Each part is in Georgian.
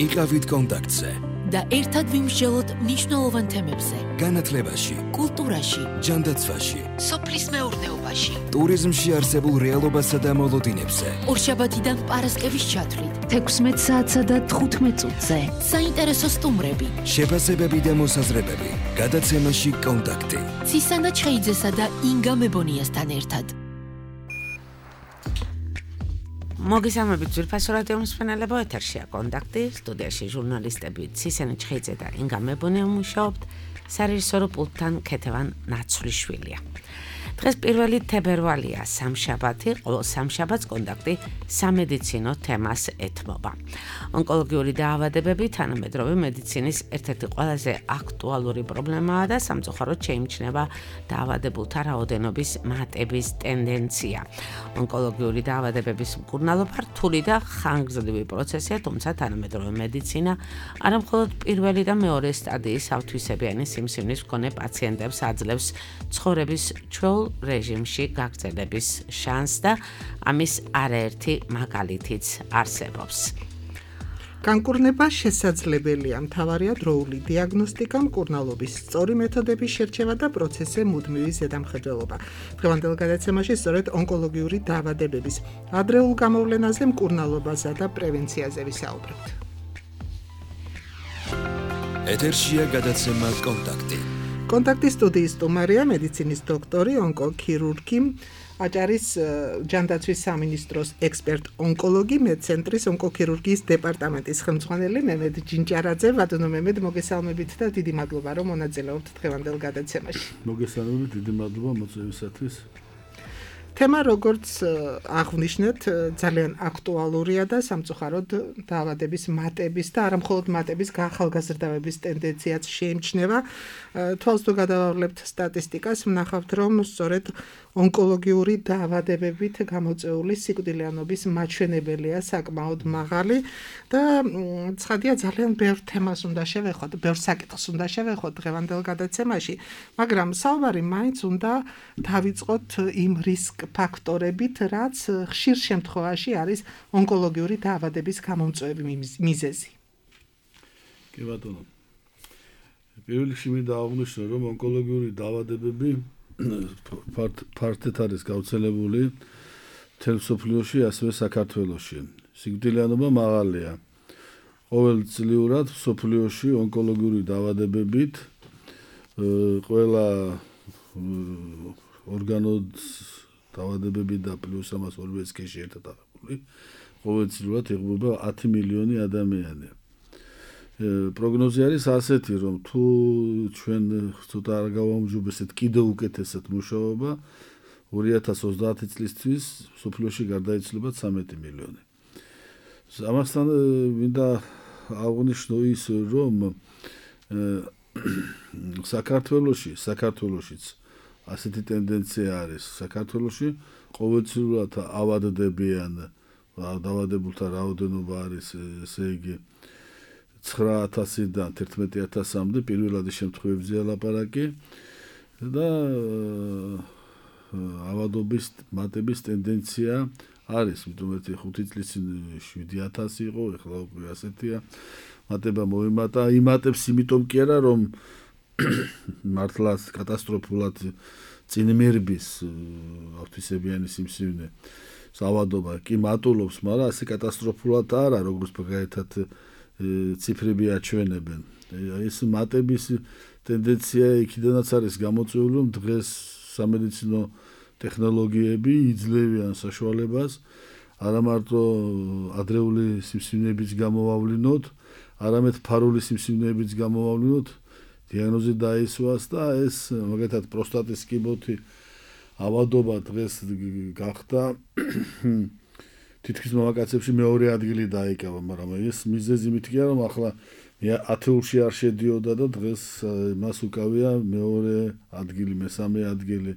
იყავით კონტაქტზე და ერთად ვიმსჯელოთ მნიშვნელოვან თემებზე. განათლებაში, კულტურაში, ჯანდაცვაში, სოფლის მეურნეობაში, ტურიზმში არსებულ რეალობასა და მოლოდინებზე. ორშაბათიდან პარასკევის ჩათვლით 16 საათსა და 15 წუთზე. საინტერესო სტუმრები, შეფასებები და მოსაზრებები. გადაცემაში კონტაქტი. ცისანა ჩხეიძესა და ინგა მებონიასთან ერთად. მოგესალმებით ძვირფასო რადიო მსმენელებო, ეთერშია კონტაქტი, სტუდიაში ჟურნალისტები ცისანა ჩხეიძე და ინგა მებონია მუშაობთ, სარეჟისორო პულტთან ქეთევან ნაცვლიშვილია. დღეს 1 თებერვალია, სამშაბათი, ყოველ სამშაბათს კონტაქტი სამედიცინო თემას ეთმობა. ონკოლოგიური დაავადებები თანამედროვე მედიცინის ერთ-ერთი ყველაზე აქტუალური პრობლემაა და სამწუხაროდ შეიმჩნევა დაავადებულთა რაოდენობის მატების ტენდენცია. ონკოლოგიური დაავადებების მკურნალობა რთული და ხანგრძლივი პროცესია, თუმცა თანამედროვე მედიცინა არა მხოლოდ პირველი და მეორე სტადიის ავთვისებიანი სიმსივნის მქონე პაციენტებს აძლევს ცხოვრების ჩვეულ რეჟიმში გაგრძელების შანსს და ამის არაერთი მაგალითიც არსებობს. განკურნება შესაძლებელია, მთავარია დროული დიაგნოსტიკა, მკურნალობის სწორი მეთოდების შერჩევა და პროცესზე მუდმივი ზედამხედველობა. დღევანდელ გადაცემაში სწორედ ონკოლოგიური დაავადებების ადრეულ გამოვლენაზე, მკურნალობაზე და პრევენციაზე ვისაუბრებთ. ეთერშია გადაცემა კონტაქტი. კონტაქტის სტუდიის სტუმარია მედიცინის დოქტორი, ონკოქირურგი, აჭარის ჯანდაცვის სამინისტროს ექსპერტ ონკოლოგი, მედცენტრის ონკოქირურგიის დეპარტამენტის ხელმძღვანელი მემედ ჯინჭარაძე. ბატონო მემედ, მოგესალმებით და დიდი მადლობა, რომ მონაწილეობთ დღევანდელ გადაცემაში. მოგესალმებით, დიდი მადლობა მოწვევისათვის. თემა, როგორც აღვნიშნეთ, ძალიან აქტუალურია და სამწუხაროდ დაავადების მატების და არა მხოლოდ მატების გაახალგაზრდავების ტენდენციაც შეიმჩნევა. თვალს თუ გადავავლებთ სტატისტიკას, ვნახავთ, რომ სწორედ ონკოლოგიური დაავადებებით გამოწვეული სიკვდილიანობის მაჩვენებელია საკმაოდ მაღალი და ცხადია ძალიან ბევრ თემას უნდა შევეხოთ, ბევრ საკითხს უნდა შევეხოთ დღევანდელ გადაცემაში, მაგრამ საუბარი მაინც უნდა დავიწყოთ იმ რისკ ფაქტორებით, რაც ხშირ შემთხვევაში არის ონკოლოგიური დაავადების გამომწვევი მიზეზი. კი ბატონო. პირველ რიგში მინდა აღვნიშნო, რომ ონკოლოგიური დაავადებები ფართედ არის გავრცელებული მთელ მსოფლიოში, ასევე საქართველოში. სიკვდილიანობა მაღალია. ყოველწლიურად მსოფლიოში ონკოლოგიური დაავადებებით ყველა ორგანოს დაავადებები და პლუს ამას ორივე სქესში ერთად აღებული, ყოველწლიურად იღუპება 10 მილიონი ადამიანი. პროგნოზი არის ასეთი, რომ თუ ჩვენ ცოტა არ გავამჯობესეთ კიდევ უკეთესად მუშაობა, 2030 წლისთვის მსოფლიოში გარდაიცვლება 13 მილიონი. ამასთან მინდა აღვნიშნო ის, რომ საქართველოშიც ასეთი ტენდენცია არის. საქართველოში ყოველწლიურად ავადდებიან დაავადებულთა რაოდენობა არის, ესე იგი 9000-დან 11000-მდე პირველადი შემთხვევებზეა ლაპარაკი და ავადობის მატების ტენდენცია არის, იმიტომ ერთი 5 წლის წინ 7000 იყო, ეხლა უკვე ასეთია. მატება მოიმატა, იმატებს იმიტომ კი არა, რომ მართლაც კატასტროფულად წინმერბის ავთვისებიანი სიმსივნე ავადობა კი მატულობს, მაგრამ ასე კატასტროფულად არა, როგორც მაგალითად ციფრები აჩვენებენ. ეს მატების ტენდენცია იქიდანაც არის გამოწვეული, რომ დღეს სამედიცინო ტექნოლოგიები იძლევიან საშუალებას არა მარტო ადრეული სიმსივნეების გამოვავლინოთ, არამედ ფარული სიმსივნეების გამოვავლინოთ, დიაგნოზი დაისვას და ეს მაგალითად პროსტატის კიბოთი ავადობა დღეს გახდა თითქმის მამაკაცებში მეორე ადგილი დაიკავა, მაგრამ ეს მიზეზი მითქია, რომ ახლა ათეულში არ შედიოდა და დღეს მას უკავია მეორე ადგილი, მესამე ადგილი.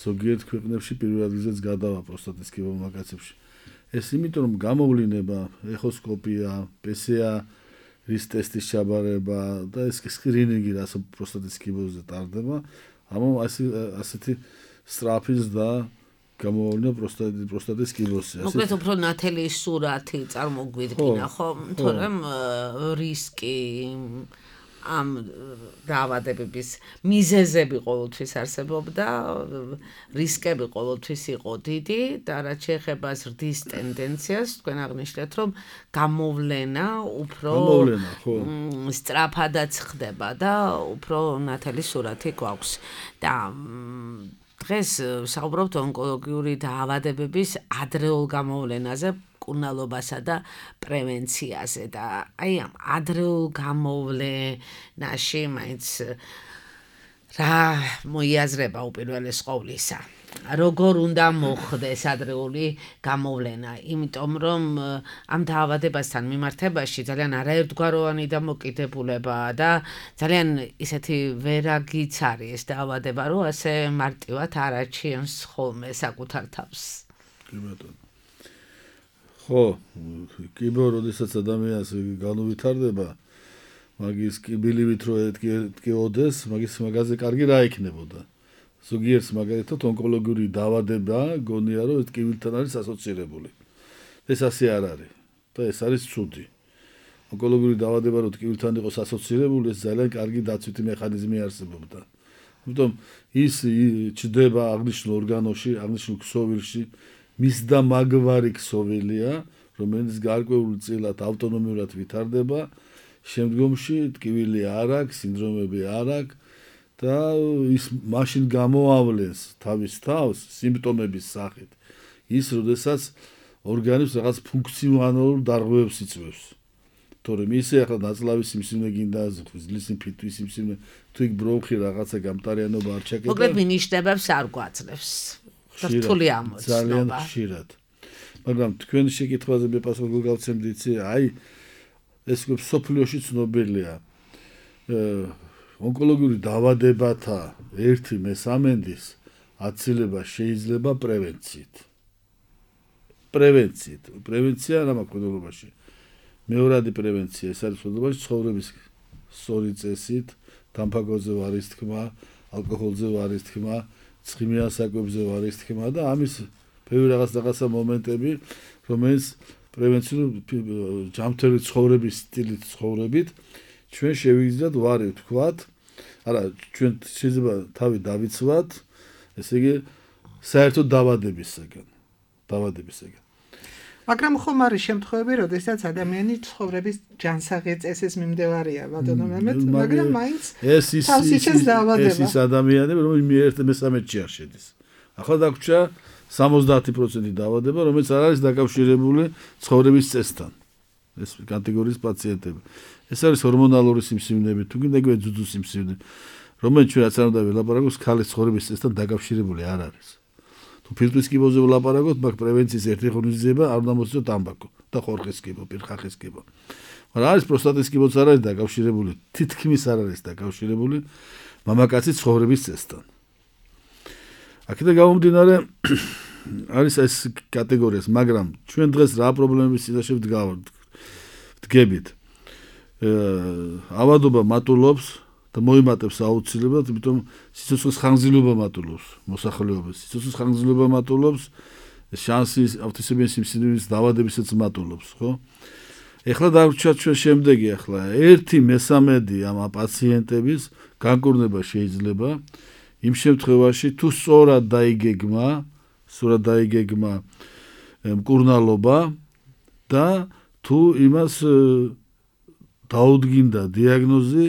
ზოგიერთ ქვეყნებში პირველ ადგილზეც გადავა პროსტატის კიბო მამაკაცებში. ეს იმიტომ, რომ გამოვლინება, ეხოსკოპია, PCR რის ტესტის ჩაბარება და ეს სკრინინგი რაც პროსტატის კიბოზე ტარდება, ამიტომ ასეთი სწრაფის და გამოვავლინა პროსტატის კიბოსი. მოკლედ უფრო ნათელი სურათი წარმოგვიდგინა, ხო? თორემ რისკი ამ დაავადებების მიზეზები ყოველთვის არსებობდა, რისკები ყოველთვის იყო დიდი და რაც შეეხება ზრდის ტენდენციას, თქვენ აღნიშნეთ, რომ გამოვლენა უფრო სწრაფადაც ხდება და უფრო ნათელი სურათი გვაქვს. და დღეს საუბრობთ ონკოლოგიური დაავადებების ადრეულ გამოვლენაზე, მკურნალობასა და პრევენციაზე და აი ამ ადრეულ გამოვლენაში მაინც რა მოიაზრება უპირველეს ყოვლისა. როგორ უნდა მოხდეს ადრეული გამოვლენა, იმიტომ რომ ამ დაავადებასთან მიმართებაში ძალიან არაერთგვაროვანი დამოკიდებულებაა და ძალიან ისეთი ვერაგიც არის ეს დაავადება, რომ ასე მარტივად არ აჩვენს ხოლმე საკუთარ თავს. კი ბატონო. ხო, კიბო, როდესაც ადამიანს განუვითარდება, მაგის კიბილივით რო ეთქიოდეს, მაგაზე კარგი რა იქნებოდა. ზოგიერთს მაგალითად ონკოლოგიური დაავადება გონია რომ ტკივილთან არის ასოცირებული. ეს ასე არ არის და ეს არის ცუდი. ონკოლოგიური დაავადება რომ ტკივილთან იყოს ასოცირებული, ეს ძალიან კარგი დაცვითი მექანიზმი არსებობდა. ამიტომ ის ჩდება აღნიშნულ ორგანოში, აღნიშნულ ქსოვილში, მისდა მაგვარი ქსოვილია, რომელიც გარკვეულ წილად ავტონომიურად ვითარდება, შემდგომში ტკივილი არ აქვს, სინდრომები არ აქვს და ის მაშინ გამოავლენს თავის თავს სიმპტომების სახით. ის როდესაც ორგანიზმს რაღაც ფუნქციონალურ დარღვევებს იწვევს. თორემ ისე ახლა ნაწლავის სიმსივნე გინდა ღვიძლის ფიტვის სიმსივნე, თუ იქ ბრონხი რაღაცა გამტარიანობა არ ჩაკეტა. მოკლედ მინიშნებებს არ გვაძლევს. რთული ამოცნობა. ძალიან ხშირად. მაგრამ თქვენ შეკითხვაზე მე პასუხი გავცემდით, აი ეს სოფლიოში ცნობილია. ონკოლოგიური დაავადებათა 1/3 აცილება შეიძლება პრევენციით. პრევენცია რა მაკრონობაში. მეორადი პრევენცია ეს არის ხოდობაში ცხოვრების სწორი წესით, თამბაქოზე ვარის თქმა, ალკოჰოლზე ვარის თქმა, ცხიმიან საკვებზე ვარის თქმა და ამის ბევრი რაღაცა მომენტები, რომელიც პრევენციულ ჯანმრთელი ცხოვრების სტილით ცხოვრებით ჩვენ შევიძლიათ ვარი ვთქვათ, არა, ჩვენ შეიძლება თავი დავიცვათ, ესე იგი საერთოდ დაავადებისგან. მაგრამ ხომ არის შემთხვევები, როდესაც ადამიანი ცხოვრების ჯანსაღი წესის მიმდევარია, ბატონო მემეთ, მაგრამ მაინც თავს იჩენს დაავადება. ეს ის ადამიანები, რომელიც მე-13-ში არ შედის. ახლა დაგვრჩა 70% დაავადება, რომელიც არ არის დაკავშირებული ცხოვრების წესთან. ეს კატეგორიის პაციენტები. ეს არის ჰორმონალური სიმსივნეები, თუ გინდა იგივე ძუძუ სიმსივნე, რომელიც ჩვენ რაც არ უნდა ვილაპარაკოთ, ქალის ცხოვრების წესთან დაკავშირებული არ არის. თუ ფილტვის კიბოზე ვილაპარაკოთ, მაგ პრევენციის ერთი ღონისძიება არ უნდა მოსწიოთ თამბაქო და ხორხის კიბო, პირხახის კიბო. მაგრამ არის პროსტატის კიბოც არ არის დაკავშირებული, თითქმის არ არის დაკავშირებული მამაკაცის ცხოვრების წესთან. აქედან გამომდინარე არის ეს კატეგორიას, მაგრამ ჩვენ დღეს რა პრობლემების წინაშე ვდგებით. ავადობა მატულობს და მოიმატებს აუცილებლად, იმიტომ სიცოცხლის ხანგრძლივობა მატულობს მოსახლეობას. სიცოცხლის ხანგრძლივობა მატულობს, შანსი ავტისებიანი სიმსივნის დაავადებისაც მატულობს, ხო? ეხლა დაგვჭირდა ჩვენ შემდეგი ახლა 1/3 ამ პაციენტების განკურნება შეიძლება იმ შემთხვევაში თუ სწორად დაიგეგმა მკურნალობა და თუ იმას დაუდგინდა დიაგნოზი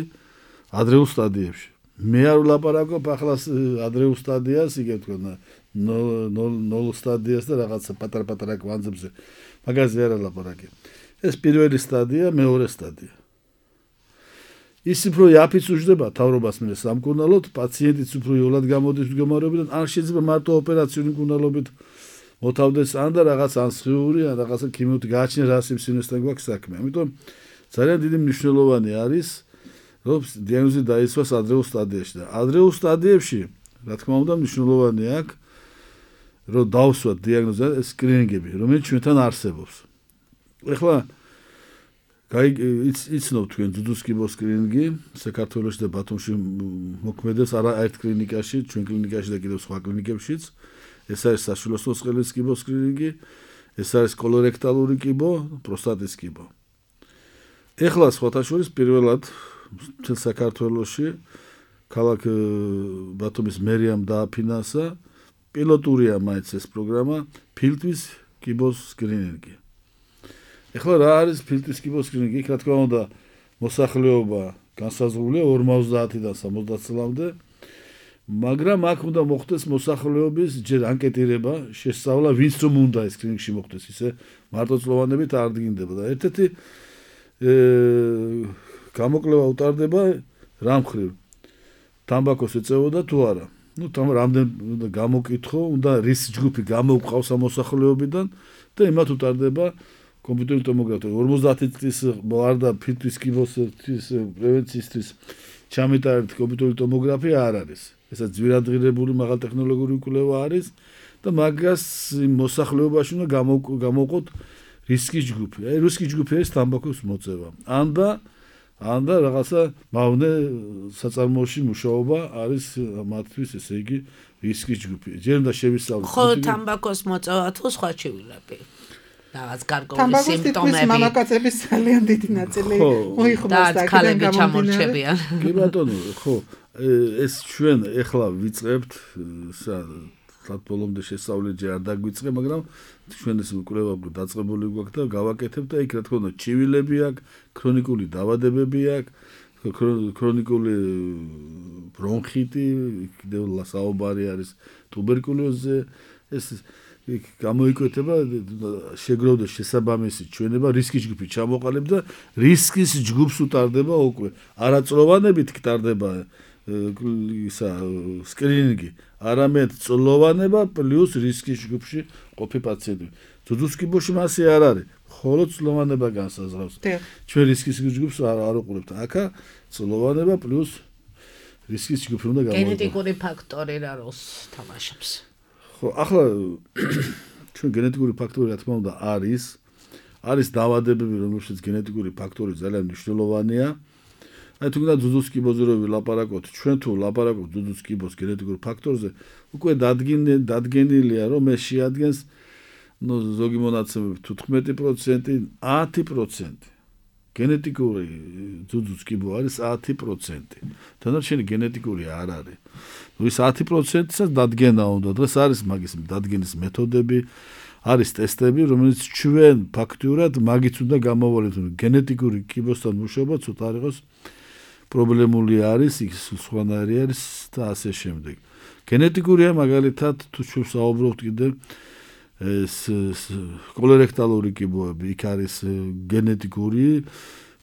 ადრეულ სტადიებში. მე არ ვლაპარაკობ ახლა ადრეულ სტადიას, იგივე თქვა 0 სტადიას და რაღაცა პატარ-პატარა კვანძებზე. მაგაზე არ ვლაპარაკე. ეს პირველი სტადია, მეორე სტადია. ის უფრო იაფიც უჯდება თავრობას მე სამკურნალოდ, პაციენტიც უფრო იოლად გამოდის მდგომარეობიდან, არ შეიძლება მარტო ოპერაციული მკურნალობით მოთავდეს ან და რაღაც ანსხიური, ან რაღაცა ქიმიური გააჩნია რა სიმსივნესთან გვაქვს საქმე. ამიტომ ძალიან დიდი მნიშვნელოვანი არის, რომ დიაგნოზი დაისვას ადრეულ სტადიაში და ადრეულ სტადიებში, რა თქმა უნდა, მნიშვნელოვანი აქვს, რომ დავსვათ დიაგნოზი, სკრინინგები, რომელიც ჩვენთან არსებობს. ეხლა იცნობ თქვენ ძუძუს კიბოს სკრინინგი საქართველოში და ბათუმში მოქმედებს არა ერთ კლინიკაში, ჩვენ კლინიკაში და კიდევ სხვა კლინიკებშიც. ეს არის საშვილოსნო წყლის კიბოს სკრინინგი, ეს არის კოლორექტალური კიბო, პროსტატის კიბო. ეხლა სხვათა შორის პირველად მთელ საქართველოში ქალაქ ბათუმის მერიამ დააფინანსა პილოტურია მაინც ეს პროგრამა ფილტვის კიბოს სკრინინგი. ეხლა რა არის ფილტვის კიბოს სკრინინგი? იქ რა თქმა უნდა მოსახლეობა განსაზღვრულია 50-დან 70 წლამდე, მაგრამ აქ უნდა მოხდეს მოსახლეობის ჯერ ანკეტირება, შესწავლა, ვინც რომ უნდა ეს სკრინინგში მოხდეს, ისე მარტოწლოვანებით არ დგინდება და ერთ-ერთი გამოკლება უტარდება რა მხრივ თამბაქოს ეწევოდა თუ არა. ნუ რამდენ უნდა გამოკითხო, უნდა რის ჯგუფი გამოვყავს ამ მოსახლეობიდან და იმათ უტარდება კომპიუტერული ტომოგრაფია. 50 წლის ვარ და ფილტვის კიბოს პრევენციისთვის ჩამეტარებთ კომპიუტერული ტომოგრაფია არ არის. ესაც ძვირადღირებული მაღალტექნოლოგიური კვლევა არის და მაგას მოსახლეობაში უნდა გამოვყოთ რისკის ჯგუფი. აი რისკის ჯგუფი არის თამბაქოს მოწევა. ან და რაღაცა მავნე საწარმოოში მუშაობა არის მათთვის, ესე იგი რისკის ჯგუფი. ჯერ უნდა შევისწავლოთ. ხო, თამბაქოს მოწევა თუ სხვა ჩივილები. რაღაც გარკვეული თამბაქოს სიმპტომები. მამაკაცების ძალიან დიდი ნაწილი მოიხმოს და აქედან ჩამორჩებიან. კი ბატონო, ხო, ეს ჩვენ ეხლა ვიწყებთ სად ბოლომდე შესწავლილი ჯერ არ დაგვიწყე, მაგრამ ჩვენ ეს კვლევა დაწყებული გვაქვს და გავაკეთებთ და იქ რა თქმა უნდა ჩივილები აქვს, ქრონიკული დაავადებები აქვს, ქრონიკული ბრონხიტი, კიდევ საუბარი არის ტუბერკულოზზე, ეს გამოიკვეთება შეგროვდეს შესაბამისი ჩვენება რისკის ჯგუფი ჩამოყალიბ და რისკის ჯგუფს უტარდება უკვე არაწლოვანებით ტარდება ისა სკრინინგი, არამედ წლოვანება პლუს რისკის ჯგუფში ყოფი პაციენტი. ძუძუს კიბოში მასე არ არის, მხოლოდ წლოვანება განსაზღვრავს. ჩვენ რისკის ჯგუფს არ უყურებთ. აქა წლოვანება პლუს რისკის ჯგუფი უნდა გამოვიყენოთ. გენეტიკური ფაქტორი რა როლს თამაშობს? ხო, ახლა ჩვენ გენეტიკური ფაქტორი რა თქმა უნდა არის დაავადებები, რომელშიც გენეტიკური ფაქტორი ძალიან მნიშვნელოვანია. აი თუ გინდა ძუძუს კიბოზე რო ვილაპარაკოთ, ჩვენ თუ ვლაპარაკობთ ძუძუს კიბოს გენეტიკურ ფაქტორზე, უკვე დადგენილია, რომ ეს შეადგენს ზოგი მონაცემებით 15%, 10%. გენეტიკური ძუძუს კიბო არის 10%. დანარჩენი გენეტიკური არ არის. ის 10%-საც დადგენა უნდა. დღეს არის მაგის დადგენის მეთოდები, არის ტესტები, რომელიც ჩვენ ფაქტიურად მაგით უნდა გამოვალოთ. გენეტიკური კიბოსთან მუშაობა ცოტა არ იყოს პრობლემული არის, იქ სხვანაირი არის და ასე შემდეგ. გენეტიკურია მაგალითად თუ ჩვენ საუბრობთ კიდევ ეს კოლორექტალური კიბოები, იქ არის გენეტიკური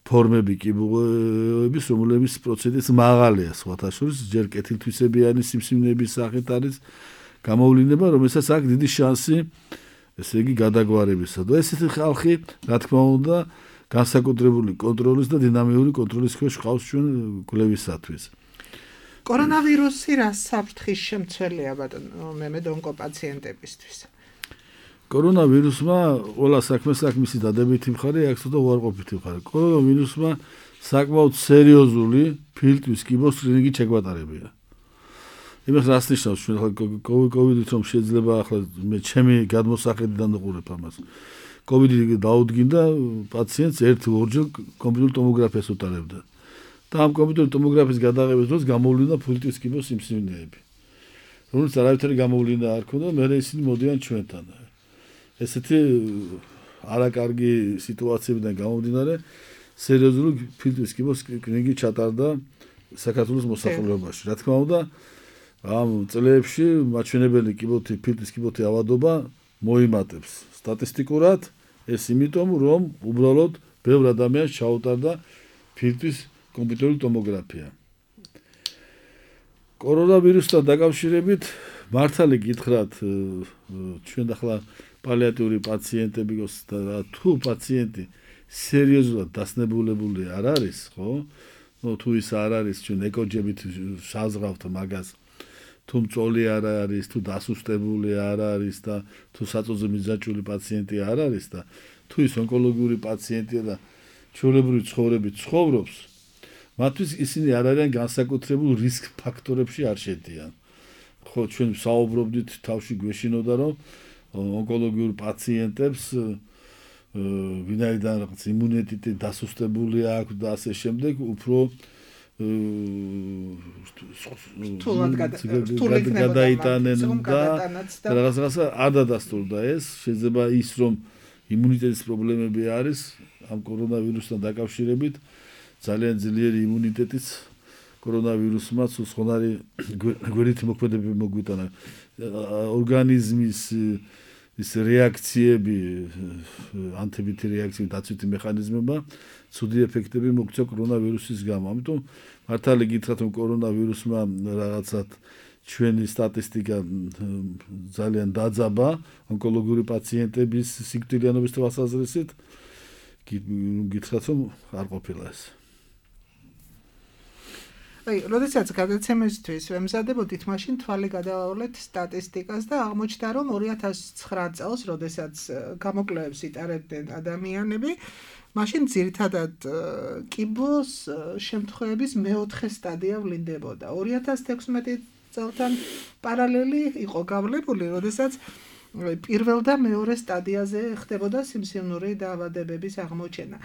ფორმები კიბოების, რომლებიც პროცენტიც მაღალია, სხვათა შორის ჯერ კეთილთვისებიანი სიმსივნეების სახით არის გამოვლინება, რომელსაც აქვს დიდი შანსი, ესე იგი გადაგვარებისა. და ესეთი ხალხი, რა თქმა უნდა, განსაკუთრებული კონტროლის და დინამიური კონტროლის ქვეშ ყავს ჩვენ კვლევისათვის. კორონავირუსი რა საფრთხის შემცველია ბატონო მემედონკო პაციენტებისთვის? კორონავირუსმა ყველა საქმეს აქვს მისი დადებითი მხარე, აქვს და უარყოფითი მხარე. კორონავირუსმა საკმაოდ სერიოზული ფილტვის კიბოს სკრინინგი შეგვატარებია. იმას რას ნიშნავს ჩვენ ახლა კოვიდით რომ შეიძლება ახლა მე ჩემი გადმოსახედიდან ვიყურებ ამას. კოვიდი დაუდგინდა პაციენტს 1-2 კომპიუტერული ტომოგრაფიას უტარებდა. და ამ კომპიუტერული ტომოგრაფიის გადაღების დროს გამოვლინდა ფილტვის კიბოს სიმსივნეები. რომელიც არავითარი გამოვლინდა არ ქონდა, მე ისინი მოდიან ჩვენთან. ესეთი არაკარგი სიტუაციებიდან გამომდინარე, სერიოზული ფილტვის კიბოს სკრინინგი ჩატარდა საქართველოს მოსახლეობაში. რა თქმა უნდა, ამ წლებში მაჩვენებელი ფილტვის კიბოთი ავადობა მოიმატებს. სტატისტიკურად ეს იმიტომ, რომ უბრალოდ ბევრ ადამიანს ჩაუტარდა ფილტვის კომპიუტერული ტომოგრაფია. კორონავირუსთან დაკავშირებით მართალი გითხრათ, ჩვენ ახლა პალიატიური პაციენტები და თუ პაციენტი სერიოზულად დასნებულებული არ არის, ხო? თუ ის არ არის, ჩვენ ეკოჯებით საზღავთ მაგას. თუ მწოლი არ არის, თუ დასუსტებული არ არის და თუ საწოზე მიზაჭული პაციენტი არ არის და თუ ის ონკოლოგიური პაციენტია და ჩვეულებრივი ცხოვრებით ცხოვრობს, მათთვის ისინი არ არიან განსაკუთრებულ რისკ ფაქტორებში არ შედიან. ხო ჩვენ საუბრობდით თავში გვეშინოდა რომ ონკოლოგიურ პაციენტებს ვინაიდან რაღაც იმუნიტეტი დასუსტებული აქვს და ასე შემდეგ უფრო გადაიტანენ და რაღაცა არ დადასტურდა ეს შეიძლება ის რომ იმუნიტეტის პრობლემები არის ამ კორონავირუსთან დაკავშირებით ძალიან ძლიერი იმუნიტეტიც კორონავირუსმა სხვადასხვა გვერდითი მოქმედებები მოგვიტანა ორგანიზმის ის რეაქციები ანტიბიოტიკი რეაქციის დაცვითი მექანიზმება ცუდი ეფექტები მოგწევ კორონავირუსის გამო. ამიტომ მართალი გითხრათ რომ კორონავირუსმა რაღაცად ჩვენი სტატისტიკა ძალიან დაძაბა ონკოლოგიური პაციენტების სიკვდილიანობის თვალსაზრისით გითხრათ რომ არ ყოფილა ეს. აი, როდესაც გადაცემისთვის ვემზადებოდით, მაშინ თვალი გადავავლეთ სტატისტიკას და აღმოჩნდა, რომ 2009 წელს, როდესაც გამოკვლევებს იტარებდნენ ადამიანები, მაშინ ძირითადად კიბოს შემთხვევების მეოთხე სტადია ვლინდებოდა. 2016 წელთან პარალელი იყო გავლებული, როდესაც პირველ და მეორე სტადიაზე ხდებოდა სიმსივნური დაავადებების აღმოჩენა.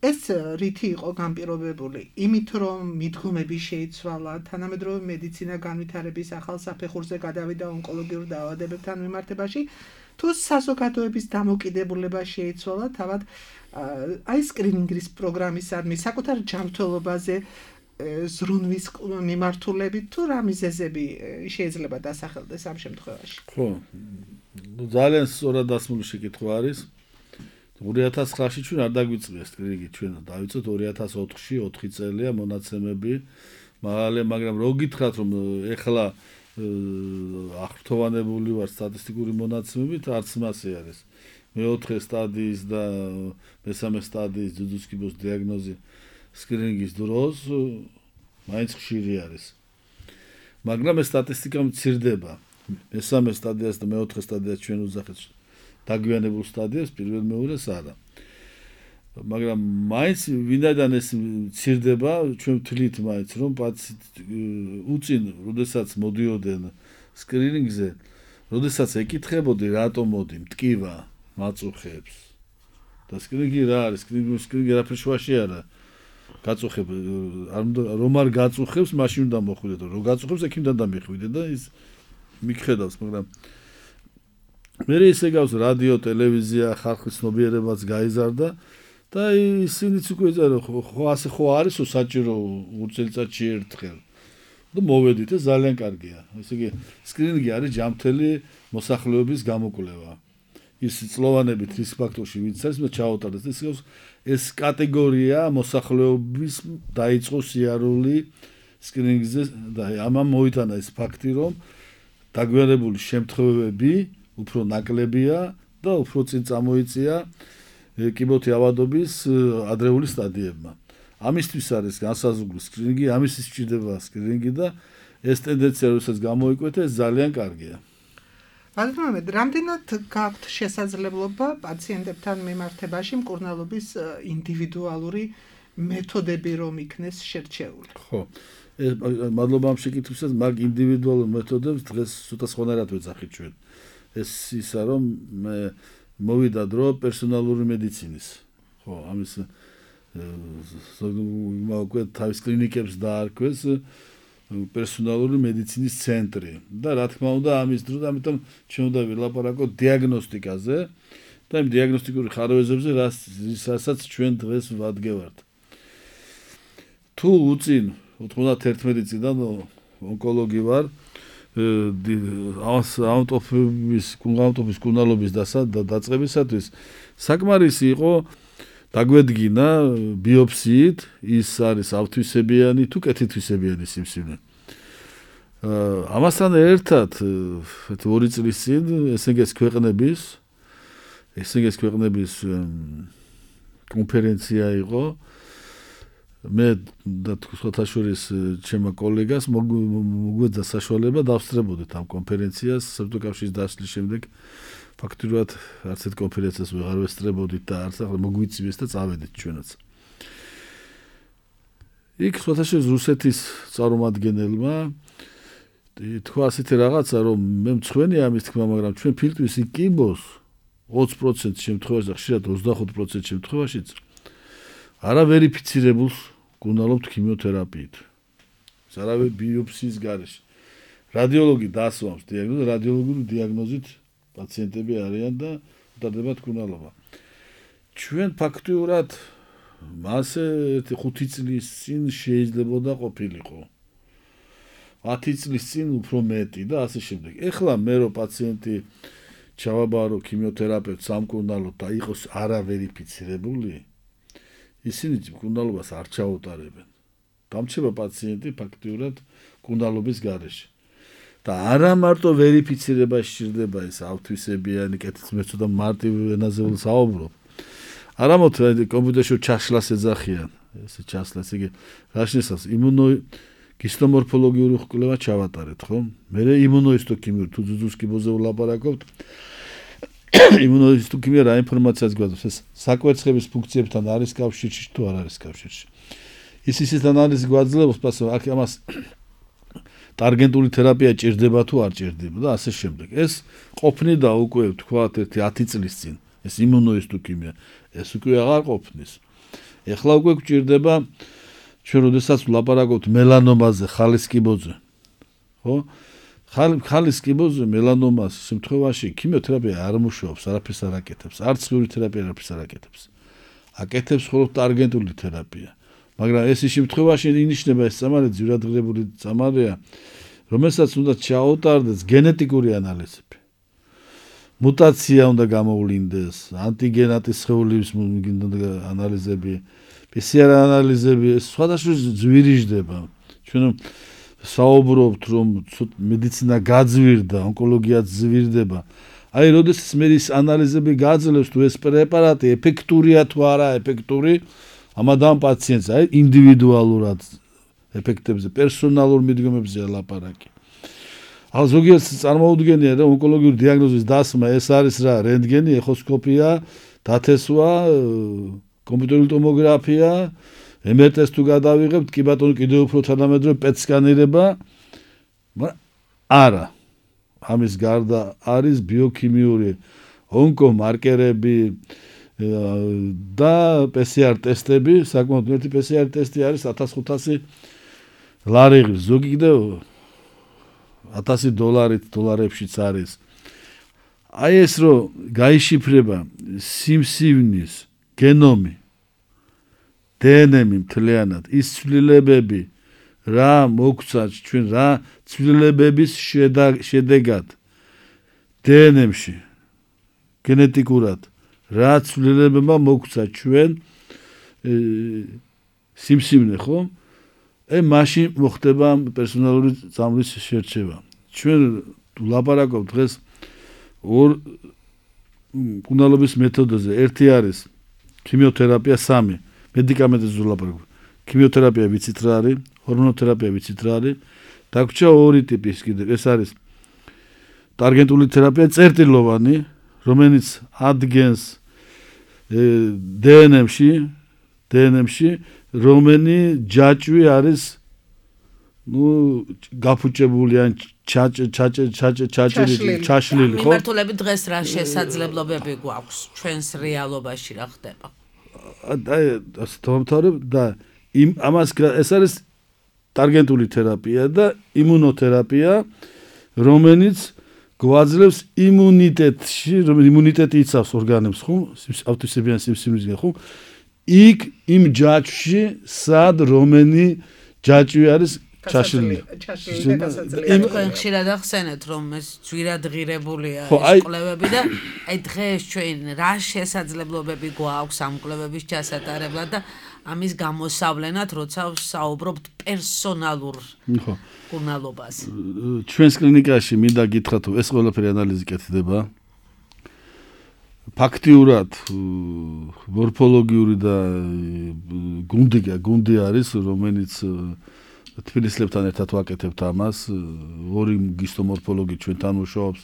ეს რითი იყო განპირობებული? იმით, რომ მიდგომები შეიცვალა, თანამედროვე მედიცინა განვითარების ახალ საფეხურზე გადავიდა ონკოლოგიურ დაავადებებთან მიმართებაში, თუ საზოგადოების დამოკიდებულება შეიცვალა თავად აი სკრინინგის პროგრამისადმი საკუთარ ჯანმრთელობაზე ზრუნვის მიმართულებით თუ რა მიზეზები შეიძლება დასახელდეს ამ შემთხვევაში? ხო. ძალიან სწორად დასმული შეკითხვა არის. 2009-ში ჩვენ არ დაგვიწყია სკრინინგი, ჩვენ დავიწყეთ 2004-ში, 4 წელია მონაცემები, მაგრამ რო გითხრათ რომ ეხლა აღფრთოვანებული ვარ სტატისტიკური მონაცემებით, არც მასე არის. მეოთხე სტადიის და მესამე სტადიის ძუძუს კიბოს დიაგნოზი სკრინინგის დროს მაინც ხშირი არის. მაგრამ ეს სტატისტიკა მცირდება. მესამე სტადიას და მეოთხე სტადიას ჩვენ უძახეთ დაგვიანებულ სტადიას, პირველ მეორეს არა. მაგრამ მაინც ვინაიდან ეს მცირდება, ჩვენ ვთვლით მაინც რომ უწინ, როდესაც მოდიოდნენ სკრინინგზე, როდესაც ეკითხებოდი რატომ მოდი მტკივა მაწუხებს. და სკრინინგი რა არის? სკრინინგი არაფერ შუაში არა. გაწუხებ რომ არ გაწუხებს, მაშინ უნდა მოხვიდე და რო გაწუხებს, იქ უნდა დამიხვიდე და ის მიგხედავს, მაგრამ მე ისე გავს რადიო, ტელევიზია, ხალხის ცნობიერებაც გაიზარდა და ისინიც უკვე ხო ასე ხო არისო საჭირო წელიწადში ერთხელ. და მოვედით ეს ძალიან კარგია. ესე იგი სკრინინგი არის ჯანმრთელი მოსახლეობის გამოკვლევა. ის წლოვანებით რისკ ფაქტორში ვინც არის, მე ჩავუტარდეს ეს კატეგორია მოსახლეობის დაიწყო სიარული სკრინინგზე და ამან მოიტანა ეს ფაქტი, რომ დაგვიანებული შემთხვევები უფრო ნაკლებია და უფრო წინ წამოიწია კიბოთი ავადობის ადრეული სტადიებმა. ამისთვის არის განსაზღვრული სკრინინგი, ამისთვის სჭირდება სკრინინგი და ეს ტენდენცია როდესაც გამოიკვეთა, ეს ძალიან კარგია. ბატონო, რამდენად გაქვთ შესაძლებლობა პაციენტებთან მიმართებაში მკურნალობის ინდივიდუალური მეთოდები რომ იქნეს შერჩეული? ხო. მადლობა ამ შეკითხვისას, მაგ ინდივიდუალურ მეთოდებს დღეს ცოტა სხვანაირად ვეძახით ჩვენ. ეს ისა რომ მოვიდა დრო პერსონალური მედიცინის. ხო, ამის მოგვე თავის კლინიკებს დაარქვეს პერსონალური მედიცინის ცენტრი და რა თქმა უნდა ამის დროს ამიტომ ჩვენ უნდა ვილაპარაკოთ დიაგნოსტიკაზე და იმ დიაგნოსტიკური ხარვეზებზე რასაც ჩვენ დღეს ვადგევართ. თუ უწინ 91 წლიდან ონკოლოგი ვარ ავტოფობის კურნალობის დაწყებისათვის საკმარისი იყო დაგვედგინა ბიოფსიით ის არის ავთვისებიანი თუ კეთილთვისებიანი სიმსივნე. ამასთან ერთად 2 წლის წინ SNG-ს ქვეყნების კონფერენცია იყო. მე და სხვათა შორის ჩემო კოლეგას მოგვეძა საშუალება დავსწრებოდეთ ამ კონფერენციას საბჭოთა კავშირის დასვლის შემდეგ. ფაქტობრივად არც ერთ კონფერენციას ვეღარ ვესწრებოდით და არც ახლა მოგვიწვიეს და წავედით ჩვენაც. იქ სხვათა შორის რუსეთის წარმომადგენელმა თქვა ასეთი რაღაცა, რომ მე მწვენია ამის თქმა, მაგრამ ჩვენ ფილტვის იკიბოს 20% შემთხვევაში და ხშირად 25% შემთხვევაშიც არა ვერიფიცირებულს გუნდალობთ ქიმიოთერაპიით. სარავე ბიოპსიის გარეშე. რადიოლოგი დასვამს დიაგნოზს, რადიოლოგიური დიაგნოზით პაციენტები არიან და უტარდებათ გუნდალობა. ჩვენ ფაქტიურად მასე 5 წლის წინ შეიძლებოდა ყოფილიყო. 10 წლის წინ უფრო მეტი და ასე შემდეგ. ეხლა მე რო პაციენტი ჩავაბარო ქიმიოთერაპევტს სამკურნალოდ და იყოს არავერიფიცირებული, ისინი მკურნალობას არ ჩაუტარებენ. დამრჩება პაციენტი ფაქტიურად მკურნალობის გარეშე. და არა მარტო ვერიფიცირება სჭირდება ეს ავთვისებიანი კეთილს მე ცოტა მარტივ ენაზე ვსაუბრობ. არამოდ კომპიუტერში ჩაშლას ეძახიან, ესე ჩაშლას იგი რაშნისას იმუნოგისტომორფოლოგიური კვლევა ჩავატარეთ, ხო? მე იმუნოისტოკიმიური თუ ძუძუს კიბოზე ვლაპარაკობთ. იმუნოისტოკიმია რა ინფორმაციას გვაძლევს, ეს საკვერცხების ფუნქციებთან არის კავშირში თუ არ არის კავშირში. ისეთ ანალიზს გვაძლევს, აქ ამას ტარგენტული თერაპია ჭირდება თუ არ ჭირდება და ასე შემდეგ. ეს ყოფნიდა უკვე თქვათ 10 წლის წინ. ეს იმუნოისტოკიმია, ეს უკვე აღარ ყოფნის. ეხლა უკვე გვჭირდება ჩვენ როდესაც ვლაპარაკობთ მელანომაზე, ხალის კიბოზე. ხო? ხალის კიბოზე მელანომას შემთხვევაში ქიმიოთერაპია არ მუშაობს, არაფერს არ აკეთებს, არც ციური თერაპია არაფერს არ აკეთებს. აკეთებს მხოლოდ ტარგენტული თერაპია. მაგრამ ეს შემთხვევაში ინიშნება ეს წამალი ძვირადღირებული წამალია, რომელსაც უნდა ჩაუტარდეს გენეტიკური ანალიზები. მუტაცია უნდა გამოვლინდეს, ანტიგენატის სხეულების ანალიზები, PCR ანალიზები, სხვადასხვა ზვირიჟდება. ჩვენ საუბრობთ, რომ მედიცინა გაძვირდა, ონკოლოგიაც ზვირდება. აი, როდესაც მე ის ანალიზები გაძლევს, თუ ეს პრეპარატი ეფექტურია თუ არა ეფექტური, ამადამ პაციენტს აი ინდივიდუალურად ეფექტებზე, პერსონალურ მიდგომებზე ლაპარაკი. ახლა ზოგიერთს წარმოუდგენია, რომ ონკოლოგიური დიაგნოზის დასმა ეს არის რა, რენტგენი, ეხოსკოპია, დათესვა, კომპიუტერული ტომოგრაფია, MRT-ს თუ გადავიღებთ, კი ბატონო, კიდევ უფრო თანამედროვე პეტ-სკანერება, მაგრამ არა. ამის გარდა არის ბიოქიმიური ონკომარკერები და PCR ტესტები, საკმაოდ ერთი PCR ტესტი არის 1500 ლარი, ზოგი კიდევ $1000 დოლარებშიც არის. აი ეს რომ გაიშიფრება სიმსივნის გენომი, დნმ-ი მთლიანად, ის ცვლილებები რა მოგცაც ჩვენ რა ცვლილებების შედეგად დნმ-ში გენეტიკურად რა ცვლილებებმა მოგცა ჩვენ სიმსივნე, ხო? მაშინ მოხდება პერსონალური წამლის შერჩევა. ჩვენ ვლაპარაკობთ დღეს ორ მკურნალობის მეთოდებზე. ერთი არის ქიმიოთერაპია, 3 მედიკამენტებზე ვლაპარაკობთ. ქიმიოთერაპია ვიცით რა არის, ჰორმონოთერაპია ვიცით რა არის. დაგვრჩა ორი ტიპის კიდევ. ეს არის ტარგენტული თერაპია, წერტილოვანი, რომელიც ადგენს დნმ-ში, რომენი ჯაჭვი არის გაფუჭებული ან ჩაშლილი, ხო? მიმართულებით დღეს რა შესაძლებლობები გვაქვს ჩვენს რეალობაში რა ხდება? აი, ასე დავამთავრებ და ამას ეს არის ტარგენტული თერაპია და იმუნოთერაპია, რომელიც გვაძლევს იმუნიტეტში, იმუნიტეტი იცავს ორგანებს, ხო? ავტვისებიან სიმსივნისგან, ხო? იქ იმ ჯაჭვში, სად რომენი ჯაჭვი არის ჩაშლილი. თქვენ ხშირად ახსენეთ, რომ ეს ძვირადღირებულია ეს კვლევები და აი დღეს ჩვენ რა შესაძლებლობები გვაქვს ამ კვლევების ჩასატარებლად და ამის გამოსავლენად, როცა საუბრობთ პერსონალურ მკურნალობაზე. ჩვენს კლინიკაში მინდა გითხრათ, ეს ყველაფერი ანალიზი კეთდება. ფაქტიურად მორფოლოგიური და გუნდი არის, რომელიც თბილისლებთან ერთად ვაკეთებთ ამას. ორი გისტომორფოლოგი ჩვენთან მუშაობს.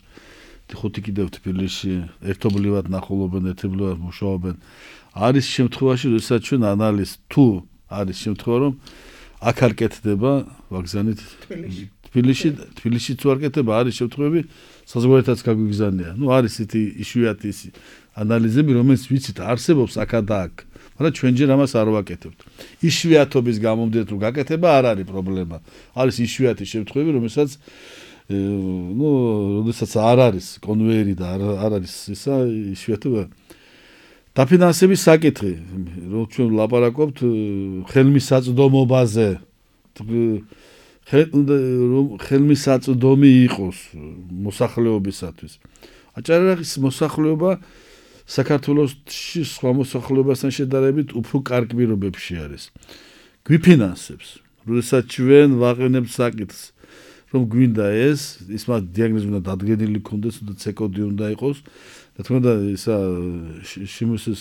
5 კიდევ თბილისში ერთობლივად ნახულობენ, ერთობლივად მუშაობენ. არის შემთხვევაში, როდესაც ჩვენ ანალიზ თუ არის შემთხვევა, რომ აქ არ კეთდება ვაგზავნით თბილისშიც ვარკეთება არის შემთხვევები საზღვარეთაც გაგვიგზავნია. არის ისეთი იშვიათი ანალიზები, რომელიც ვიცით არსებობს აქ და აქ, მაგრამ ჩვენ ჯერ ამას არ ვაკეთებთ. იშვიათობის გამომდინარე რომ გაკეთება არ არის პრობლემა. არის იშვიათი შემთხვევები, რომელსაც როდესაც არ არის კონვეიერი და არ არის ისა იშვიათობა. დაფინანსების საკითხი, რომ ჩვენ ლაპარაკობთ ხელმისაწვდომობაზე. ხელმისაწვდომი იყოს მოსახლეობისათვის. აჭარაღის მოსახლეობა საქართველოში სხვა მოსახლეობასთან შედარებით უფრო კარგ პირობებში არის. გვიფინანსებს, როდესაც ჩვენ ვაყენებთ საკითხს, რომ გვინდა ის მათ დიაგნოზი უნდა დადგენილი ქონდეს და ცეკოდი უნდა იყოს. და თქმა უნდა, ისა შემოსეს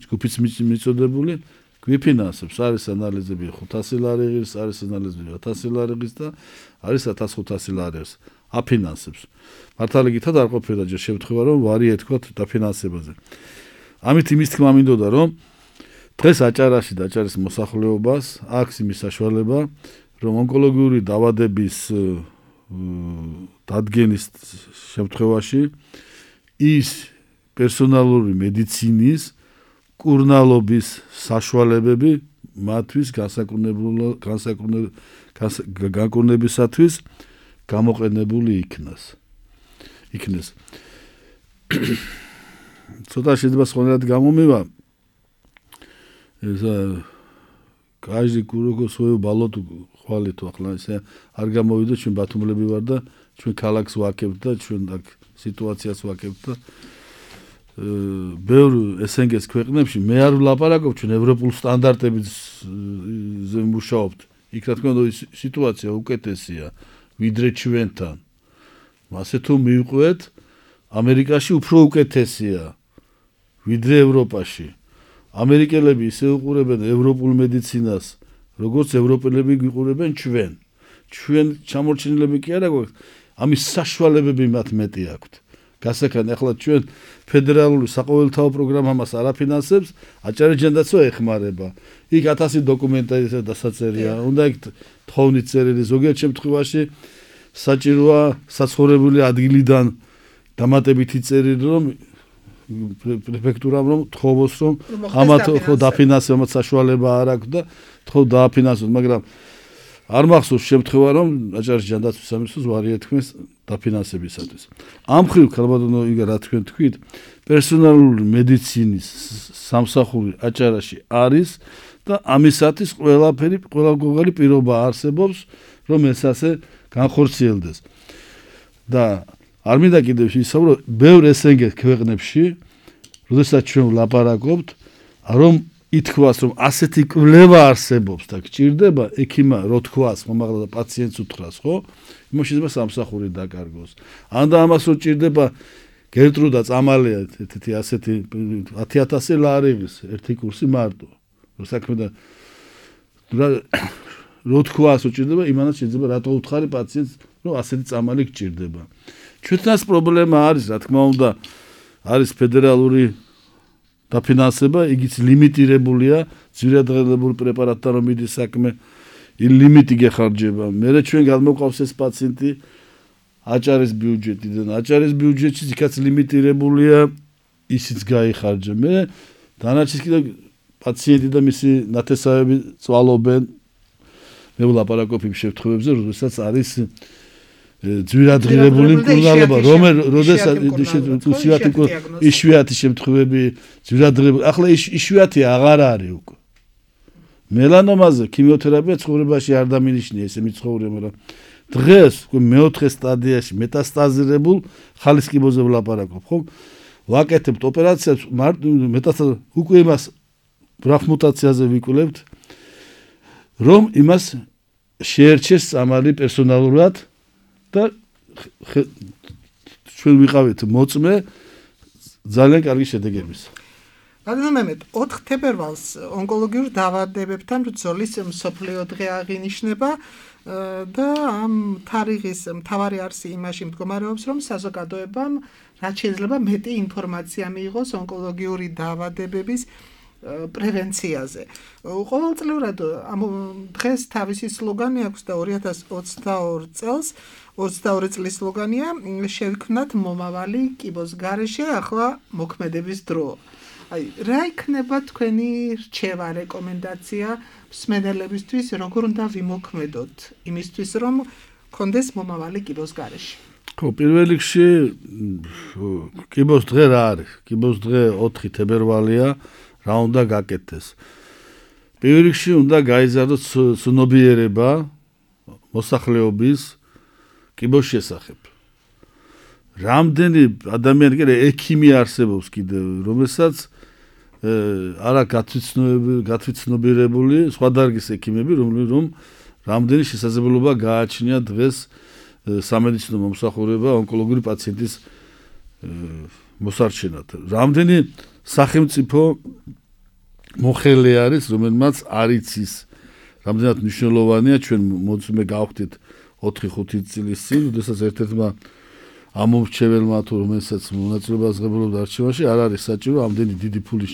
ჯგუფიც მიწოდებული გვიფინანსებს, არის ანალიზები 500 ლარიღის, არის ანალიზები 1000 ლარიღის და არის 1500 ლარიღის. აფინანსებს. მართალი გითხრათ არ ყოფილა ჯერ შემთხვევა რომ ვარი ეთქვათ დაფინანსებაზე. ამით იმის თქმა მინდოდა რომ დღეს აჭარაში და აჭარის მოსახლეობას აქვს იმის საშუალება რომ ონკოლოგიური დაავადების დადგენის შემთხვევაში ის პერსონალური მედიცინის კურნალობის საშუალებები მათთვის განკურნებისათვის გამოყენებული იქნეს. ცოტა შეიძლება სხვანაირად გამომივა. ესა каждый курок свою болото ხვალით ახლა ესე არ გამოვიდა ჩვენ ბათუმლები ვარ და ჩვენ ქალაქს ვაკებთ და ჩვენ აქ სიტუაციას ვაკებთ და ბევრ SNG-ს ქვეყნებში მე არ ვლაპარაკობ ჩვენ ევროპულ სტანდარტებზე მუშაობთ. იქ რა თქმა უნდა სიტუაცია უკეთესია ვიდრე ჩვენთან. ასე თუ მივყვეთ ამერიკაში უფრო უკეთესია ვიდრე ევროპაში. ამერიკელები ისე უყურებენ ევროპულ მედიცინას, როგორც ევროპელები გვიყურებენ ჩვენ. ჩვენ ჩამორჩენილები კი არა გვაქვს, ამის საშუალებები მათ მეტი აქვთ. გასაკან ახლა ჩვენ ფედერალური საყოველთაო პროგრამა მას არ აფინანსებს, აჭარიჯანდაცვა ეხმარება. იქ 1000 დოკუმენტაცია დასაწერია, უნდა იქ თხოვნით წერილი ზოგიერთ შემთხვევაში საჭიროა საცხოვრებელი ადგილიდან დამატებითი წერილი რომ პრეფექტურამ რომ თხოვოს რომ ამათ ხო დაფინანსებად საშუალება არ აქვს და თქო დააფინანსოს, მაგრამ არ მახსოვს შემთხვევა რომ აჭარის ჯანდაცვის სამინისტროს ვარი ეთქმეს დაფინანსებისათვის. ამ მხრივ ქალბატონო იგა რა თქვენ თქვით, პერსონალური მედიცინის სამსახური აჭარაში არის და ამისათვის ყველაფერი პირობა არსებობს რომ ეს ასე განხორციელდეს. და არ მინდა კიდევ ვისაუბრო ბევრ SNG ქვეყნებში, როდესაც ჩვენ ვლაპარაკობთ, რომ ითქვას რომ ასეთი კვლევა არსებობს და გჭირდება ექიმა რო თქვას, მომაღლა და პაციენტს უთხრას, ხო? იმას შეიძლება სამსახური დაკარგოს. ან და ამას რო ჭირდება გერტრუდა წამალია ესეთი ასეთი 10000 ლარიღის ერთი კურსი მარტო. რო საქმე და რო თქვას რო ჭირდება, იმანაც შეიძლება რატო უთხარი პაციენტს, რომ ასეთი წამალი გჭირდება. ჩვენთანაც პრობლემა არის, რა თქმა უნდა, არის ფედერალური დაფინანსება, იგიც ლიმიტირებულია, ძვირადღირებული პრეპარატთან რომ მიდის საქმე, ლიმიტი გეხარჯება. მერე ჩვენ გადმოყავს ეს პაციენტი აჭარის ბიუჯეტიდან. აჭარის ბიუჯეტში იქაც ლიმიტირებულია, ისიც გაიხარჯა. მე დანარჩენს კიდე პაციენტი და მისი ნათესავები წვალობენ. მე ვლაპარაკობ იმ შემთხვევებზე, როდესაც არის ძვირადღირებული მკურნალობა, როდესაც იშვიათი შემთხვევები ძვირადღირებული, ახლა იშვიათი აღარ არის უკვე. მელანომაზე ქიმიოთერაპია ცხოვრებაში არ დამინიშნია, ესე მიცხოვრია, მაგრამ დღეს მეოთხე სტადიაში მეტასტაზირებულ ხალისკიბოზე ვლაპარაკობ, ხო? ვაკეთებთ ოპერაციას, მეტასტაზ უკვე იმას ბრახმუტაციაზე ვიკვლევთ, რომ იმას შეერჩეს წამალი პერსონალურად და ჩვენ ვიყავით მოწმე ძალიან კარგი შედეგების. რადგან 4 თებერვალს ონკოლოგიურ დაავადებებთან ბრძოლის მსოფლიო დღე აღინიშნება და ამ თარიღის მთავარი არსი იმაში მდგომარეობს, რომ საზოგადოებამ რაც შეიძლება მეტი ინფორმაცია მიიღოს ონკოლოგიური დაავადებების პრევენციაზე. ყოველწლიურად ამ დღეს თავისი სლოგანი აქვს და 2022 წელს 22 წლის სლოგანია შევქმნათ მომავალი კიბოს გარეშე ახლა მოქმედების დრო. აი, რა იქნება თქვენი რჩევა, რეკომენდაცია მსმენელებისთვის, როგორ უნდა ვიმოქმედოთ იმისთვის, რომ კონდეს მომავალი კიბოს გარეშე? ხო, პირველ რიგში კიბოს დღე რა არის? კიბოს დღე 4 თებერვალია, რა უნდა გაკეთდეს? პირველ რიგში უნდა გაიზარდოს ცნობიერება მოსახლეობის კიბოს შესახებ. რამდენი ადამიანი კიდე ექიმი არსებობს კიდევ, რომელსაც არა გათვითცნობიერებული სხვა დარგის ექიმები, რომ რამდენი შესაძლებლობა გააჩნია დღეს სამედიცინო მომსახურება ონკოლოგიური პაციენტის მოსარჩენად. რამდენი სახელმწიფო მოხელე არის, რომელმაც არ იცის, რამდენად მნიშვნელოვანია ჩვენ მოწმე გავხდით 4-5 წლის წინ, როდესაც ერთ-ერთმა ამომრჩეველმა თუ რომელსაც მონაწილეობას ღებულობდა არჩევანში, არ არის საჭირო ამდენი დიდი ფული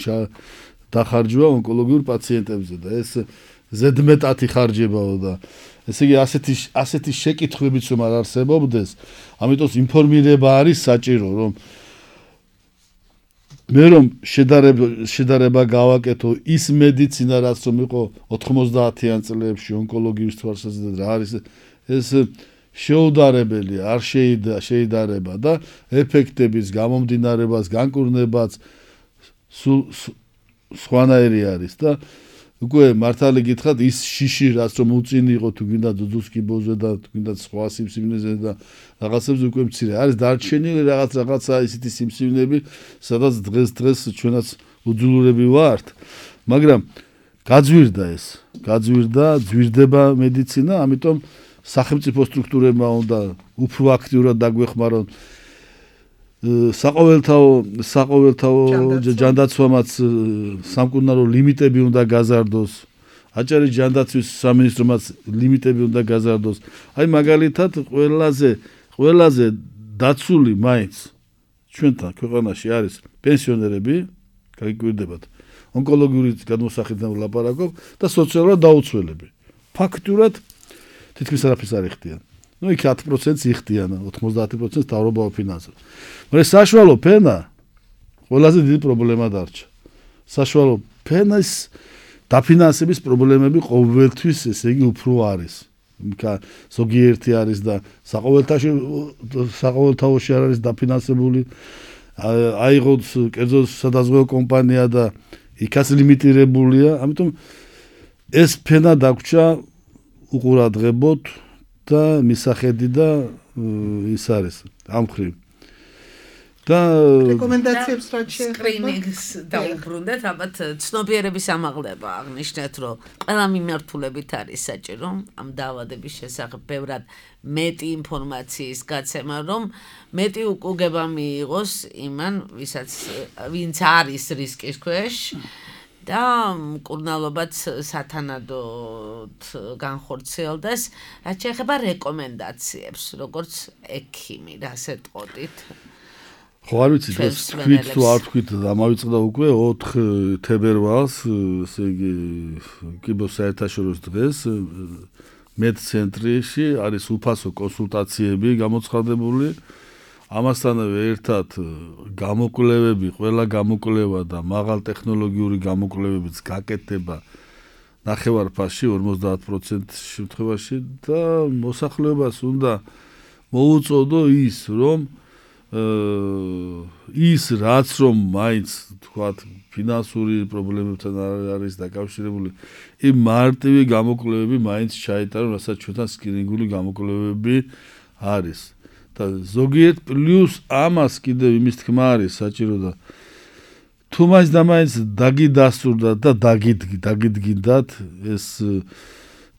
დახარჯვა ონკოლოგიურ პაციენტებზე და ეს ზედმეტად იხარჯებაო და ესე იგი ასეთი შეკითხვებიც რომ არ არსებობდეს, ამიტომ ინფორმირება არის საჭირო, რომ მე რომ შედარება გავაკეთო ის მედიცინა რაც რომ იყო 90-იან წლებში ონკოლოგიის თვალსაზრისით რა არის ეს შეუდარებელი არ შეიდარება და ეფექტების გამომდინარებას განკურნებაც სხვანაირი არის და უკვე მართალი გითხრათ ის შიში რაც რომ უწინი იყო თუ გინდა ძუძუს კიბოზე და თუ გინდა სხვა სიმსივნეზე და რაღაცებზე უკვე მცირე არის დარჩენილი რაღაცა ისეთი სიმსივნეები სადაც დღეს ჩვენაც უძულურები ვართ მაგრამ გაძვირდა ძვირდება მედიცინა ამიტომ სახელმწიფო სტრუქტურებმა უნდა უფრო აქტიურად დაგვეხმარონ საყოველთაო ჯანდაცვამაც სამკურნალო ლიმიტები უნდა გაზარდოს აჭარის ჯანდაცვის სამინისტრომაც ლიმიტები უნდა გაზარდოს აი მაგალითად ყველაზე დაცული მაინც ჩვენთან ქვეყანაში არის პენსიონერები გაიკვირდებათ ონკოლოგიური გადმოსახედიდან ვლაპარაკობ და სოციალურად დაუცველები ფაქტურად თითქმის არაფერს არ იხდიან ну იქ 10% იხდიან 90% თავრობა ფინანსებს მაგრამ საშუალო ფენა ყველაზე დიდი პრობლემა დარჩა საშუალო ფენის დაფინანსების პრობლემები ყოველთვის ესე იგი უფრო არის ზოგიერთი არის და საყოველთაოში არ არის დაფინანსებული აიღოს კერძო სადაზღვევო კომპანია და იქაც ლიმიტირებულია ამიტომ ეს ფენა დაგვრჩა უყურადღებოთ და მისახედი და ის არის ამ ხრივ და რეკომენდაციებს რა შეიძლება სკრინინგს დაუბრუნდეთ ალბათ ცნობიერების ამაღლება აღნიშნეთ რომ ყველა მიმართულებით არის საჭირო ამ დაავადების შესახებ ბევრად მეტი ინფორმაციის გაცემა რომ მეტი უკუგება მიიღოს იმან ვინც არის რისკის ქვეშ და მკურნალობაც სათანადოდ განხორციელდეს რაც შეეხება რეკომენდაციებს როგორც ექიმი რას ეტყოდით ხო არ ვიცი დღეს თქვით თუ არ თქვით ამავიწყდა უკვე 4 თებერვალს ესე იგი კიბოს საერთაშორისო დღეს მედცენტრში არის უფასო კონსულტაციები გამოცხადებული ამასთანავე ერთად გამოკვლევები, ყველა გამოკვლევა და მაღალ ტექნოლოგიური გამოკვლევებიც გაკეთდება ნახევარფასში 50% შემთხვევაში და მოსახლეობას უნდა მოუწოდო ის რომ ის რაც რომ მაინც თქვათ ფინანსური პრობლემებთან არის დაკავშირებული იმ მარტივი გამოკვლევები მაინც ჩაიტარონ რასაც ჩვენთან სკრინინგული გამოკვლევები არის და ზოგიერთ პლუს ამას კიდევ იმის თქმა არის საჭირო და თუ მაინც და მაინც დაგიდასტურდა და დაგიდგინდათ ეს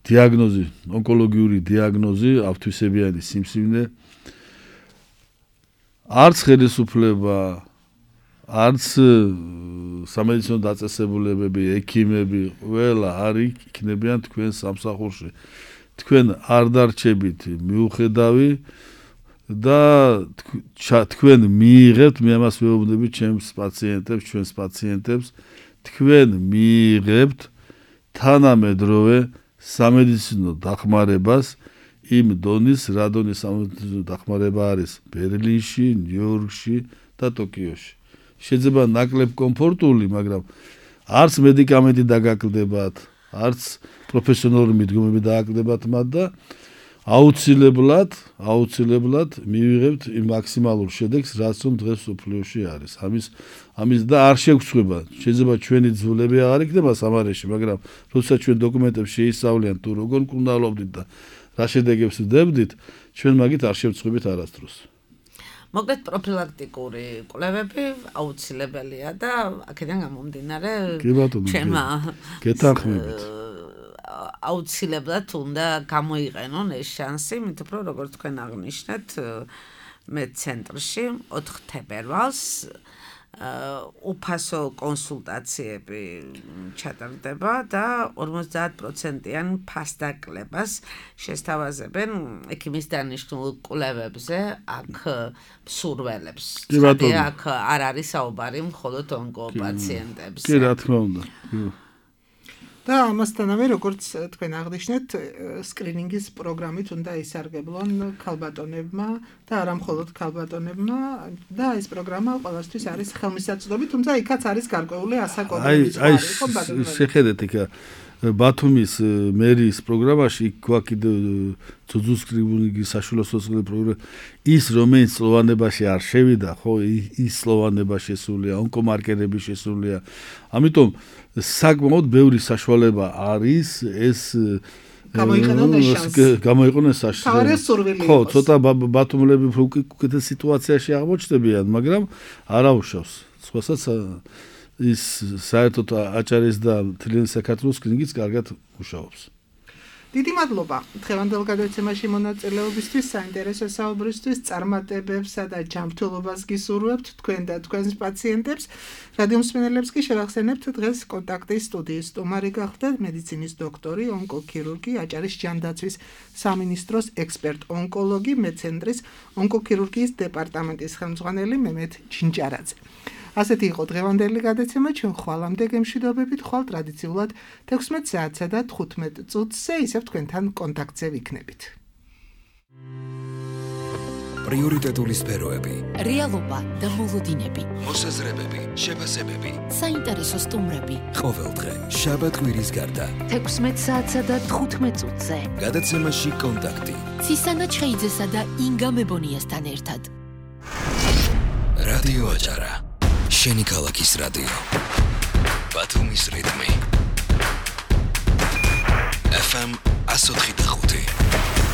დიაგნოზი ონკოლოგიური დიაგნოზი ავთვისებიანი სიმსივნე არც ხელისუფლება არც სამედიცინო დაწესებულებები ექიმები ყველა არ იქნებიან თქვენ სამსახურში თქვენ არ დარჩებით მიუხედავი და თქვენ მიიღებთ მე ამას ვეუბნები ჩემს პაციენტებს ჩვენს პაციენტებს თქვენ მიიღებთ თანამედროვე სამედიცინო დახმარებას იმ დონის, რა დონის სამედიცინო დახმარება არის ბერლინში, ნიუ-იორკში და ტოკიოში. შეიძლება ნაკლებ კომფორტული, მაგრამ არც მედიკამენტი დაგაკლდებათ, არც პროფესიონალური მიდგომები დააკლდებათ მათ და აუცილებლად მივიღებთ იმ მაქსიმალურ შედეგს, რაც რომ დღეს სოფლიოში არის. ამის და არ შეგწყვება. შეიძლება ჩვენი ძვლები აღარ იქნება სამარეში, მაგრამ როდესაც ჩვენ დოკუმენტებს შეისწავლიან თუ როგორ მკურნალობდით და რა შედეგებს ვდებდით, ჩვენ მაგით არ შევწყვებით არასდროს. მოკლედ პროფილაქტიკური კვლევები აუცილებელია და აქედან გამომდინარე ჩვენმა გეთანხმებით. აუცილებლად უნდა გამოიყენონ ეს შანსი, მით უფრო როგორც თქვენ აღნიშნეთ, მედცენტრში 4 თებერვალს უფასო კონსულტაციები ჩატარდება და 50%-იან ფასდაკლებას შესთავაზებენ ექიმის დანიშნულ კვლევებზე აქ მსურველებს. აქ არ არის საუბარი მხოლოდ ონკოპაციენტებზე. კი, რა თქმა უნდა. და ამასთანავე, როგორც თქვენ აღნიშნეთ, სკრინინგის პროგრამით უნდა ისარგებლონ ქალბატონებმა და არა მხოლოდ ქალბატონებმა და ეს პროგრამა ყველასთვის არის ხელმისაწვდომი, თუმცა იქაც არის გარკვეული ასაკობრივი ზღვარი. შეხედეთ იქა ბათუმის მერიის პროგრამაში გვაქვს ძუძუ სკრინინგის საშუალო სოციალური პროგრამა ის რომელიც სლოვანებაში არ შევიდა, ხო, ის სლოვანება შესულია, ონკომარკერები შესულია. ამიტომ საკმაოდ ბევრი საშუალება არის ეს გამოიყენოს შანსი. ხო, ცოტა ბათუმელები უკეთეს სიტუაციაში აღმოჩნდებიან, მაგრამ არაუშავს. სხვასაც ის საერთოდ აჭარის და მთლიანი საქართველოს კლინიკიც კარგად მუშაობს. დიდი მადლობა დღევანდელ გადაცემაში მონაწილეობისთვის, საინტერესო საუბრისთვის, წარმატებებსა და ჯანმრთელობას გისურვებთ თქვენ და თქვენს პაციენტებს. რადიო მსმენელებს კი შევახსენებთ დღეს კონტაქტის სტუდიის სტუმარი გახლდათ მედიცინის დოქტორი, ონკოქირურგი, აჭარის ჯანდაცვის სამინისტროს ექსპერტ-ონკოლოგი, მედცენტრის ონკოქირურგიის დეპარტამენტის ხელმძღვანელი მემედ ჯინჯარაძე. ასეთი იყო დღევანდელი გადაცემა, ჩვენ ხვალამდე გემშვიდობებით, ხვალ ტრადიციულად 16 საათსა და 15 წუთზე ისევ თქვენთან კონტაქტზე ვიქნებით. პრიორიტეტული სფეროები, რეალობა და მოლოდინები, მოსაზრებები, შეფასებები, საინტერესო სტუმრები. ყოველდღე, შაბათ-კვირის გარდა, 16 საათსა და 15 წუთზე. გადაცემაში კონტაქტი. ცისანა ჩხეიძესა და ინგა მებონიასთან ერთად. რადიო აჭარა. შენი ქალაქის რადიო. ბათუმის რიტმი. FM 104.5